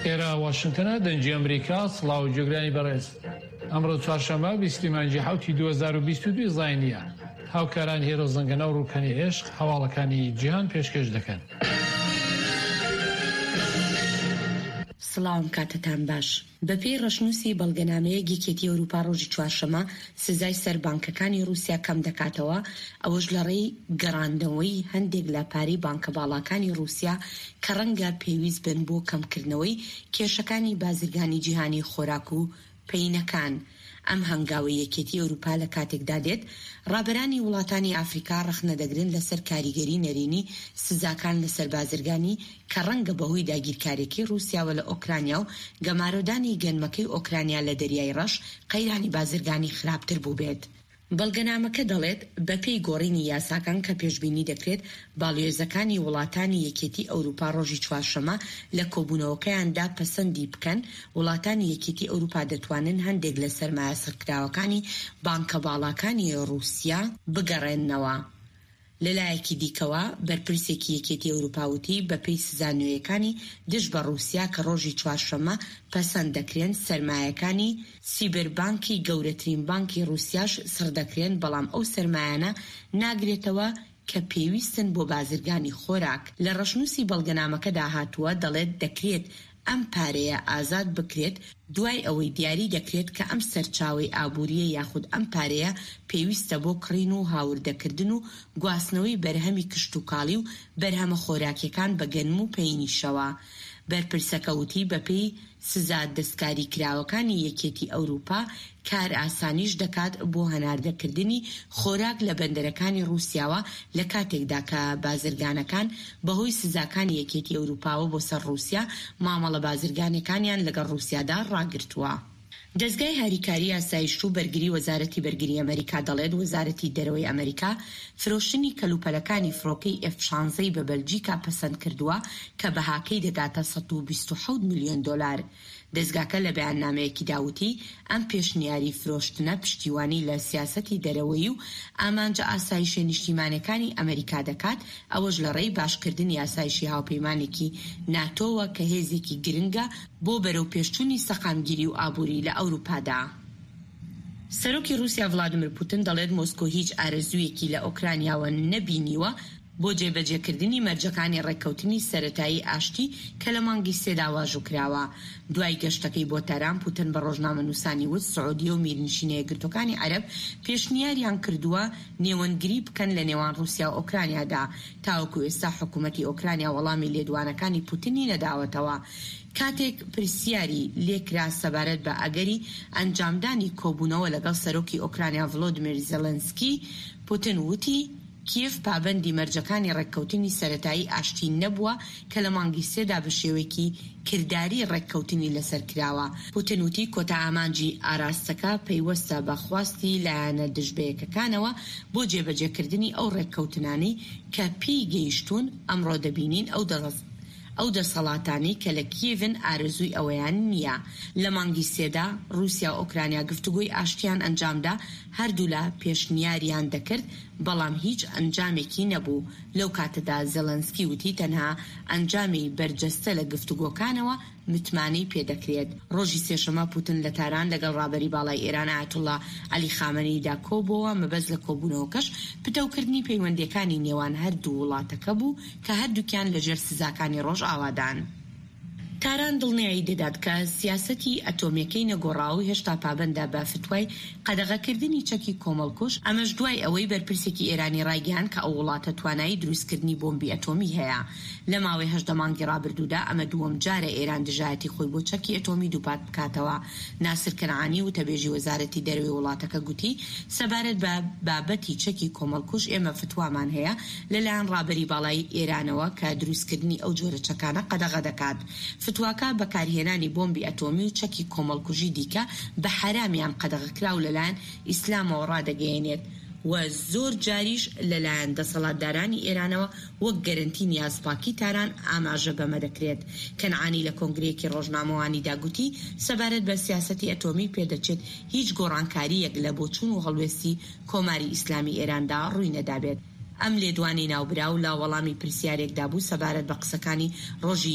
ئێرە واشنتنە دەنگی ئەمریکا سڵاو گوێگرانی بەڕێز ئەمڕۆ چوارشەممە بیستی مانگی حوتی 2022 زاینیە هاوکاران هێرۆ زەنگەنە و ڕوکەنی عێشق هەواڵەکانی جیهان پێشکێش دەکەن. سڵاوم کاتتان باش. بەپێی ڕەشنووسی بەڵگەنامەیەک یەکێتی ئەوروپا ڕۆژی چوارشەممە سزای سەر بانکەکانی ڕووسیا کەمدەکاتەوە، ئەوەش لەڕێی گەڕاندنەوەی هەندێک لە پارەی بانکە باڵاکانی ڕووسیا کە ڕەنگە پێویست بن بۆ کەمکردنەوەی کێشەکانی بازرگانی جیهانی خۆراک و پەینەکان. ئەم هەنگاوەی یەکێتی ئەوروپا لە کاتێکدا دێت، ڕابەرانی وڵاتانی ئافریکا ڕەخنە دەگرن لەسەر کاریگەری نەرێنی سزاکان لەسەر بازرگانی کە ڕەنگە بەهۆی داگیرکاریەکەی ڕووسیاوە لە ئۆکرانیا و گەمارۆدانی گەنمەکەی ئۆکرانیا لە دەریای ڕەش قەیرانی بازرگانی خراپتر بووبێت. بەڵگەنامەکە دەڵێت، بەپێی گۆڕینی یاساکان کە پێشبینی دەکرێت باڵیۆزەکانی وڵاتانی یەکێتی ئەوروپا ڕۆژی چوارشەممە لە کۆبوونەوەکەیاندا پەسەندی بکەن، وڵاتانی یەکێتی ئەوروپا دەتوانن هەندێک لە سەرمایە سڕکراوەکانی بانکە باڵاکانی ڕووسیا بگەڕێننەوە. لەلایەکی دیکەوە، بەرپرسێکی یەکێتی ئەوروپا وتی، بەپێی سزا نوێیەکانی دژ بە ڕووسیا کە ڕۆژی چوارشەممە پەسەند دەکرێن، سەرمایەکانی سیبربانکی گەورەترین بانکی ڕووسیاش سڕدەکرێن، بەڵام ئەو سەرمایانە ناگرێتەوە کە پێویستن بۆ بازرگانی خۆراک. لە ڕەشنووسی بەڵگەنامەکەدا هاتووە، دەڵێت دەکرێت ئەم پارەیە ئازاد بکرێت دوای ئەوەی دیاری دەکرێت کە ئەم سەرچاوەی ئابوورییە یاخود ئەم پارەیە پێویستە بۆ کڕین و هاوردەکردن و گواستنەوەی بەرهەمی کشتوکاڵی و بەرهەمە خۆراکیەکان بە گەنم و پەینیشەوە. بەرپرسەکە وتی بەپێی سزا دەستکاریکراوەکانی یەکێتی ئەوروپا کارئاسانیش دەکات بۆ هەناردەکردنی خۆراک لە بەندەرەکانی ڕووسیاوە لە کاتێکدا کە بازرگانەکان بەهۆی سزاکانی یەکێتی ئەوروپاوە بۆ سەر ڕووسیا مامەڵە بازرگانیەکانیان لەگەڵ ڕووسیادا ڕاگرتووە. دەزگای هاریکاری ئاسایشت و بەرگری وەزارەتی بەرگری ئەمەریکا دەڵێت وەزارەتی دەرەوەی ئەمەریکا فرۆشتنی کەلوپەلەکانی فڕۆکەی ئێف شانزەی بە بەلجیکا پەسەند کردووە کە بەهاکەی دەگاتە 127 ملیۆن دۆلار. دەزگاکە لە بەیاننامەیەکیدا وتی، ئەم پێشنیاری فرۆشتنە پشتیوانی لە سیاسەتی دەرەوەیی و ئامانجە ئاسایشە نیشتیمانیەکانی ئەمەریکا دەکات، ئەوەش لە ڕێی باشکردنی ئاسایشی هاوپەیمانێکی ناتۆوە کە هێزێکی گرنگە بۆ بەرەوپێشچوونی سەقامگیری و ئابووری لە ئەوروپادا. سەرۆکی ڕووسیا ڤلادیمیر پوتن دەڵێت مۆسکۆ هیچ ئارەزوویەکی لە ئۆکرانیاوە نەبینیوە بۆ جێبەجێکردنی مەرجەکانی ڕێککەوتنی سەرەتایی ئاشتی کە لە مانگی سێدا واژووکراوە. دوای گەشتەکەی بۆ تاران، پوتن بە ڕۆژنامەنووسانی وت سعودیە و میرنشینە یەکگرتووەکانی عەرەب پێشنیاریان کردووە نێوەندگری بکەن لە نێوان ڕووسیا و ئۆکرانیادا. تاوەکو ئێستا حکومەتی ئۆکرانیا وەڵامی لێدوانەکانی پوتنی نەداوەتەوە. کاتێک پرسیاری لێکرا سەبارەت بە ئەگەری ئەنجامدانی کۆبوونەوە لەگەڵ سەرۆکی ئۆکرانیا ڤلۆدیمیر زێلێنسکی، پوتن وتی، کیێڤ پابەندی مەرجەکانی ڕێککەوتنی سەرەتایی ئاشتی نەبووە کە لە مانگی سێدا بە شێوەیەکی کرداری ڕێککەوتنی لەسەر کراوە. پوتن وتی کۆتا ئامانجی ئاراستەکە پەیوەستە بە خواستی لایەنە دژبەیەکەکانەوە بۆ جێبەجێکردنی ئەو ڕێککەوتنانەی کە پێی گەیشتوون، ئەمڕۆ دەبینین ئەو ئەو دەسەڵاتانەی کە لە کیێڤن ئارەزووی ئەوەیان نییە. لە مانگی سێدا ڕووسیا و ئۆکرانیا گفتوگۆی ئاشتیان ئەنجامدا، هەردوولا پێشنیاریان دەکرد، بەڵام هیچ ئەنجامێکی نەبوو. لەو کاتەدا زێڵێنسکی وتی تەنها ئەنجامی بەرجەستە لە گفتوگۆکانەوە متمانەی پێدەکرێت. ڕۆژی سێشەممە پوتن لە تاران لەگەڵ ڕابەری باڵای ئێران ئایەتوڵڵا عەلی خامەنەییدا کۆبووەوە، مەبەست لە کۆبوونەوەکەش پتەوکردنی پەیوەندییەکانی نێوان هەردوو وڵاتەکە بوو کە هەردووکیان لەژێر سزاکانی ڕۆژئاوادان. تاران دڵنیایی دەدات کە سیاسەتی ئەتۆمییەکەی نەگۆڕاوە و هێشتا پابەندە بە فتوای قەدەغەکردنی چەکی کۆمەڵکوژ، ئەمەش دوای ئەوەی بەرپرسێکی ئێرانی ڕایگەیاند کە ئەو وڵاتە توانایی دروستکردنی بۆمبی ئەتۆمی هەیە. لە ماوەی 18 مانگی ڕابردوودا ئەمە دووەم جارە ئێران دژایەتی خۆی بۆ چەکی ئەتۆمی دووپات بکاتەوە. ناسر کەنعانی وتەبێژی وەزارەتی دەرەوەی وڵاتەکە گوتی، سەبارەت بە بابەتی چەکی کۆمەڵکوژ ئێمە فتوامان هەیە لەلایەن ڕابەری باڵای ئێرانەوە کە دروستکردنی ئەو جۆرە چەکانە قەدەغە دەکات. فتواکە بەکارهێنانی بۆمبی ئەتۆمی و چەکی کۆمەڵکوژی دیکە بە حەرام یان قەدەغەکراو لەلایەن ئیسلامەوە ڕادەگەیەنێت و زۆر جاریش لەلایەن دەسەڵاتدارانی ئێرانەوە وەک گەرەنتی نیازپاکی تاران ئاماژە بەمە دەکرێت. کەنعانی لە کۆنگرەیەکی ڕۆژنامەوانیدا گوتی، سەبارەت بە سیاسەتی ئەتۆمی پێدەچێت هیچ گۆڕانکارییەک لە بۆچوون و هەڵوێستی کۆماری ئیسلامی ئێراندا ڕووی نەدابێت. ئەم لێدوانەی ناوبراو لە وەڵامی پرسیارێکدا بوو سەبارەت بە قسەکانی ڕۆژی.